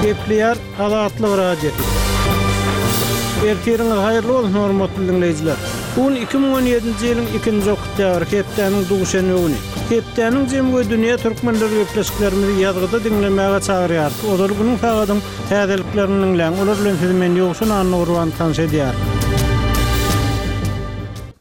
Gepleýär Azatlyk Radiosy. Ertiriňiz haýyrly bolsun, hormatly diňleýjiler! Bu gün 2017-nji ýylyň ikinji oktýabry, hepdäniň duşenbe güni. Hepdäniň jemi we dünýä türkmenleri gepleşiklerimizi ýazgyda diňlemäge çagyrýarys. Ozal günüň sagadyň täzeliklerini diňläň. Olar bilen sizi men Ýowşan Annagurban tanyş edýärin.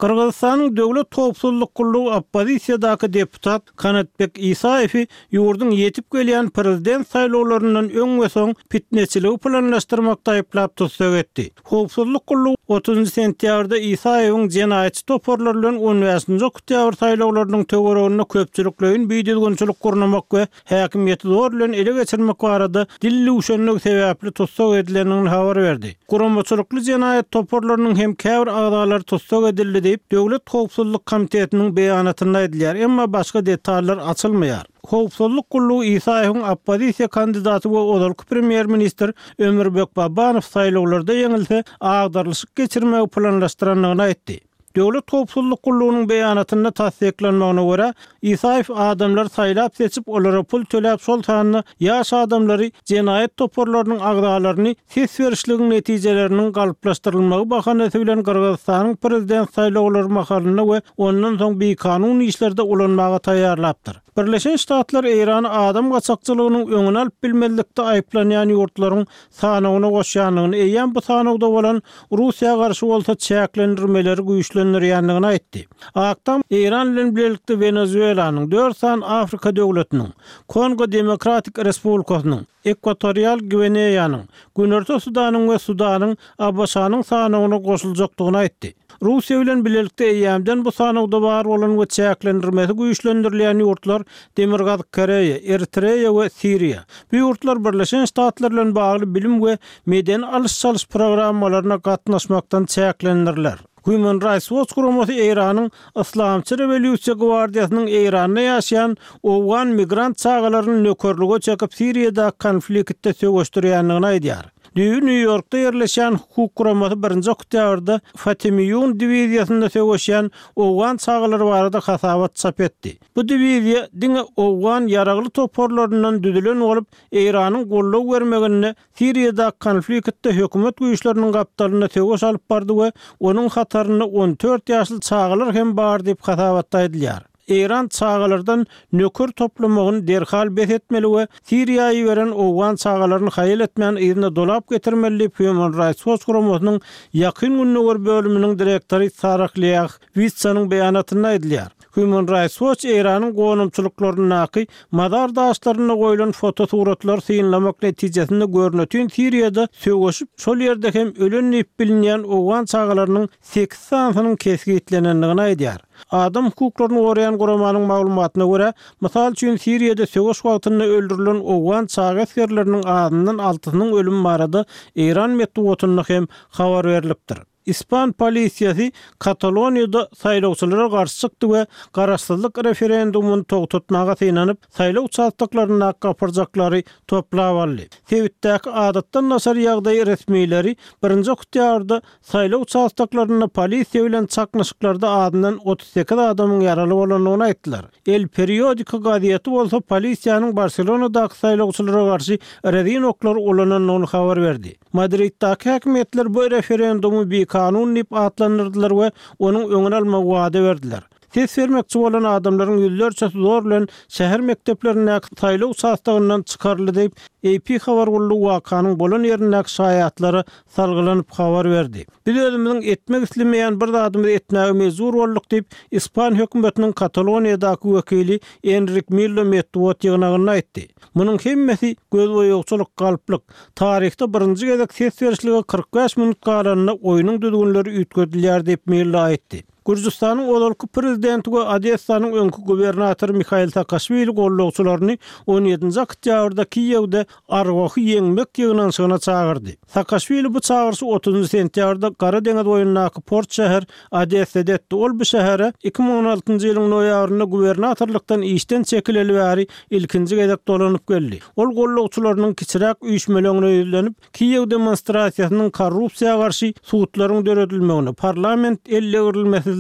Gyrgyzystanyň Döwlet howpsuzlyk gullugy oppozisiýadaky deputat Kanatbek Isaýewi ýurduň ýetip gelýän prezident saýlawlaryndan öň we soň pitneçiligi planlaşdyrmakda aýyplap tussag etdi. Howpsuzlyk gullugy otuzynjy sentýabrda Isaýewiň jenaýatçy toparlar bilen on bäşinji oktýabr saýlawlarynyň töwereginde köpçülikleýin bidüzgünçilik gurnamak we häkimiýeti zor bilen ele geçirmek barada dil düwşenligi sebäpli tussag edilendigini habar berdi. Guramaçylykly jenaýat toparlarynyň hem käbir agzalary tussag edildi diýip, Döwlet howpsuzlyk komitetiniň beýanatynda aýdylýar, emma başga detallar açylmaýar. Howpsuzlyk gullugy Isaýewiň oppozisiýa kandidaty we ozalky premýer-ministr Ömürbek Babanow saýlawlarda ýeňilse, agdarylyşyk geçirmegi planlaşdyrandygyny aýtdy. Döwlet howpsuzlyk gullugynyň beýanatynda tassyklanmagyna görä, Isaýew adamlary saýlap-seçip, olara pul töläp, şol sanda ýaş adamlary jenaýat toparlarynyň agzalaryny ses berişligiň netijeleriniň galplaşdyrylmagy bahanasy bilen Gyrgyzystanyň prezident saýlawlary mahalynda we ondan soň bikanun işlerde ulanmaga taýýarlapdyr. Birleşen Ştatlar Eýrany adam gaçakçylygynyň öňüni alyp bilmezlikde aýyplanýan ýurtlaryň sanawyna goşýandygyny, eýýäm bu sanawda bolan Russiýa garşy bolsa çäklendirmeleri güýçlendirýändigini aýtdy. Ak Tam Eýran bilen bilelikde Wenezuelanyň, dört sany Afrika döwletiniň, Kongo Demokratik Respublikasynyň, Ekwatorial Gwineýanyň, Günorta Sudanyň we Sudanyň ABŞ-nyň sanawyna goşuljakdygyny aýtdy. Russiýa bilen bilelikde eýýämden bu sanawda bar bolan we çäklendirmesi güýçlendirilýän ýurtlar Demirgazyk Koreýa, Eritreýa we Siriýa. Bu ýurtlar Birleşen Ştatlar bilen bagly bilim we medeni alyş-çalyş programmalaryna gatnaşmakdan çäklendiriler. Human Rights Watch guramasy Eýranyň Yslamçy rewolýusiýa gwardiýasynyň Eýranda ýaşaýan owgan migrant çagalaryny nökerlige çekip Siriýadaky konfliktde söweşdirýändigini aýdýar. Düýbi Nýu-Ýorkda ýerleşýän hukuk guramasy birinji oktýabrda Fatemiýun diwiziýasynda söweşýän owgan çagalary barada hasabat çap etdi. Bu diwiziýa diňe owgan ýaragly toparlaryndan düzülen bolup, Eýranyň goldaw bermeginde Siriýadaky konfliktde hökümet güýçleriniň gapdalynda söweş alyp bardy we onuň hatarynda 14 ýaşly çagalar hem bar diýip hasabatda aýdylýar. Eýran çagalardan nöker toplamagyny derhal bes etmeli we Siriýa iberen owgan çagalaryny haýal etmän yzyna dolap getirmeli diýip Human Rights Watch guramasynyň Ýakyn Gündogar bölüminiň direktory Sarah Leah Witsanyň beýanatynda aýdylýar. Human Rights Watch Eýranyň gonamçylyklaryndaky mazar daşlarynda goýlan fotosuratlary synlamak netijesinde görnetin Siriýada söweşip, şol ýerde hem ölen diýip bilinýän owgan çagalarynyň sekiz sanysynyň kesgitlenendigini aýdýar. Adam hukuklaryny goraýan guramanyň maglumatyna görä, mysal üçin Siriýada söweş wagtynda öldürilen owgan çaga esgerleriniň azyndan altysynyň ölümi barada eýran metbugatynda hem habar berlipdir. Ispan polisiýasy Kataloniýada saýlawçylara garşy çykdy we garaşsyzlyk referendumyny togtatmaga synanyp, saýlaw uçastoklaryndaky gapyrjaklary toplap aldy. Sebitdäki adatdan daşary ýagdaý resmileri birinji oktýabrda saýlaw uçastoklarynda polisiýa bilen çaknyşyklarda azyndan 38 adamyň ýaraly bolandygyny aýtdylar. El Periodiko gazeti bolsa polisiýanyň Barselonadaky saýlawçylara garşy rezin oklary ulanandygyny habar berdi. Madriddaky häkimiýetler bu referendumy bikanun diýip atlandyrdylar we onuň öňüni almagy wada berdiler. Ses bermekçi bolan adamlaryň ýüzlerçesi zor bilen şäher mekdeplerindäki saýlaw uçastogyndan çykaryldy diýip, AP habar gullugy wakanyň bolan ýerindäki şaýatlara salgylanyp habar berdi. Biz özümiziň etmek islemeýän bir zadymyzy etmäge mejbur bolduk diýip, ispan hökümetiniň Kataloniýadaky wekili Enrik Millo metbugat ýygnagynda aýtdy. Munuň hemmesi gözboýagçylyk, galplyk. Taryhda birinji gezek ses berişlige 45 minut galanda oýnuň düzgünleri üýtgedilýär diýip, Millo aýtdy. Gürjüstanyň ozalky prezidenti we Odessanyň öňki gubernatory Mihail Saakaşwili goldawçylaryny on ýedinji oktýabrda Kiýewde Arwahy ýeňmek ýygnanyşygyna çagyrdy. Saakaşwili bu çagyryşy otuzynjy sentýabrda Gara deňiz boýundaky port şäher Odessada etdi. Ol bu şähere 2016-njy ýylyň noýabrynda gubernatorlykdan işden çekileli bäri ilkinji gezek dolanyp geldi. Ol goldawçylarynyň kiçiräk üýşmeleňine ýüzlenip, Kiýew demonstrasiýasynyň korrupsiýa garşy sudlaryň döredilmegine, parlament eldegrilmesizliginiň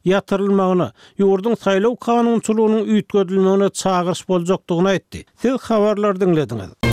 ýatyrylmagyna, ýurduň saýlaw kanunçylygynyň üýtgedilmegine çagyryş boljakdygyny aýtdy. Siz habarlary diňlediňiz.